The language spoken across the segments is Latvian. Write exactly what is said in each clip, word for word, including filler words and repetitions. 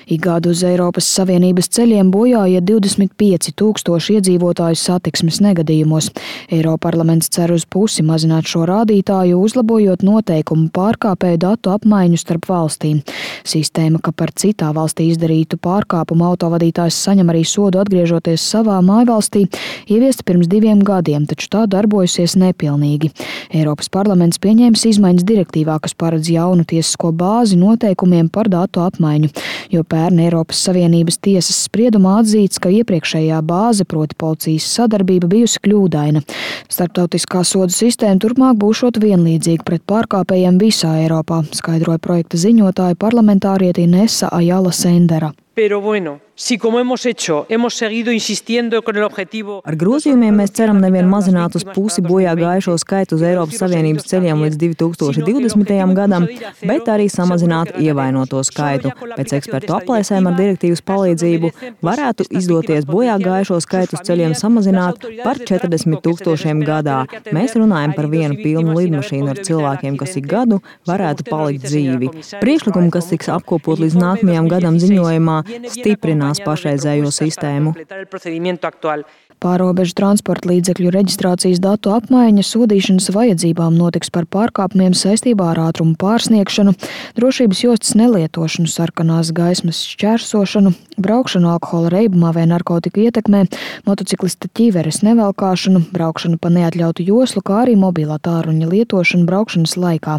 Ik gadu uz Eiropas Savienības ceļiem bojā iet divdesmit pieci tūkstoši iedzīvotāju satiksmes negadījumos. Eiroparlaments cer uz pusi mazināt šo rādītāju, uzlabojot noteikumu pārkāpēju datu apmaiņu starp valstīm. Sistēma, ka par citā valstī izdarītu pārkāpumu autovadītājs saņem arī sodu atgriežoties savā mājvalstī, ieviesta pirms diviem gadiem, taču tā darbojusies nepilnīgi. Eiropas parlaments pieņēmis izmaiņas direktīvā, kas paredz jaunu tiesisko bāzi noteikumiem par datu apmaiņu, jo pērn Eiropas Savienības tiesas spriedumā atzīts, ka iepriekšējā bāze, proti policijas sadarbība, bijusi kļūdaina. Starptautiskā sodu sistēma turpmāk būšot vienlīdzīga pret pārkāpējiem visā Eiropā, skaidroja projekta ziņotāja parlamentāriete Inesa Ajala Sendera. Pero bueno, si como hemos hecho, hemos seguido insistiendo con el objetivo. Ar grozījumiem mēs ceram nevien mazināt uz pusi bojā gājušo skaitu uz Eiropas Savienības ceļiem līdz divi tūkstoši divdesmitajam gadam, bet arī samazināt ievainoto skaitu. Pēc ekspertu aplēsēm ar direktīvas palīdzību varētu izdoties bojā gājušo skaitu uz ceļiem samazināt par četrdesmit tūkstošiem gadā. Mēs runājam par vienu pilnu lidmašīnu ar cilvēkiem, kas ik gadu varētu palikt dzīvi. Priekšlikumi, kas tiks apkopot līdz nākamajam gadam ziņojumā, stiprinās pašreizējo sistēmu. Pārrobežu transporta līdzekļu reģistrācijas datu apmaiņa sodīšanas vajadzībām notiks par pārkāpumiem saistībā ar ātrumu pārsniegšanu, drošības jostas nelietošanu, sarkanās gaismas šķērsošanu, braukšanu alkohola reibumā vai narkotiku ietekmē, motociklista ķiveres nevelkāšanu, braukšanu pa neatļautu joslu, kā arī mobilā tālruņa lietošanu braukšanas laikā.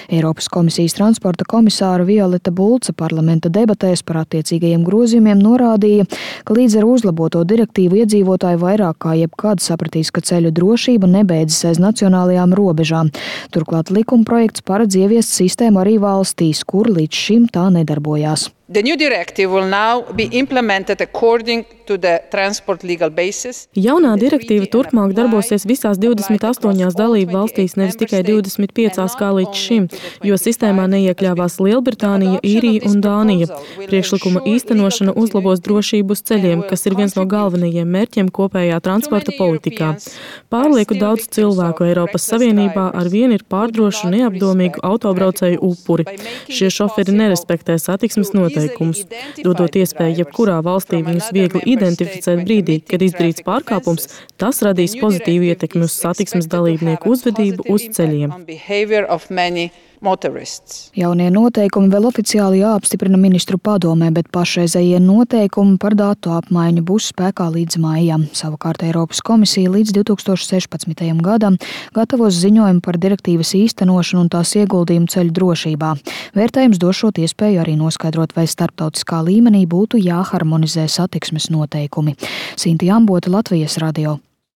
Eiropas komisijas transporta komisāra Violeta Bulca parlamenta debatēs par attiecīgajiem grozījumiem norādīja, ka līdz ar uzlaboto direktīvu iedzīvotāju vairāk kā jebkad sapratīs, ka ceļu drošība nebeidzas aiz nacionālajām robežām. Turklāt likumprojekts paredz ieviest sistēmu arī valstīs, kur līdz šim tā nedarbojās. The new directive will now be implemented according to the transport legal basis. Jaunā direktīva turpmāk darbosies visās divdesmit astoņās dalību valstīs, nevis tikai divdesmit piecās kā līdz šim, jo sistēmā neiekļāvās Lielbritānija, Īrija un Dānija. Priekšlikuma īstenošana uzlabos drošību uz ceļiem, kas ir viens no galvenajiem mērķiem kopējā transporta politikā. Pārlieku daudz cilvēku Eiropas Savienībā arvien ir pārdrošu neapdomīgu autobraucēju upuri. Šie šoferi nerespektē satiksmes noteikumus. Dodot iespēju jebkurā valstī viņus viegli identificēt brīdī, kad izdarīts pārkāpums, tas radīs pozitīvu ietekmi uz satiksmes dalībnieku uzvedību uz ceļiem. Motorists. Jaunie noteikumi vēl oficiāli jāapstiprina ministru padomē, bet pašreizējie noteikumi par datu apmaiņu būs spēkā līdz maijam. Savukārt Eiropas komisija līdz divi tūkstoši sešpadsmitajam gadam gatavos ziņojumu par direktīvas īstenošanu un tās ieguldījumu ceļu drošībā. Vērtējums došot iespēju arī noskaidrot, vai starptautiskā līmenī būtu jāharmonizē satiksmes noteikumi. Sinti Ambota, Latvijas radio.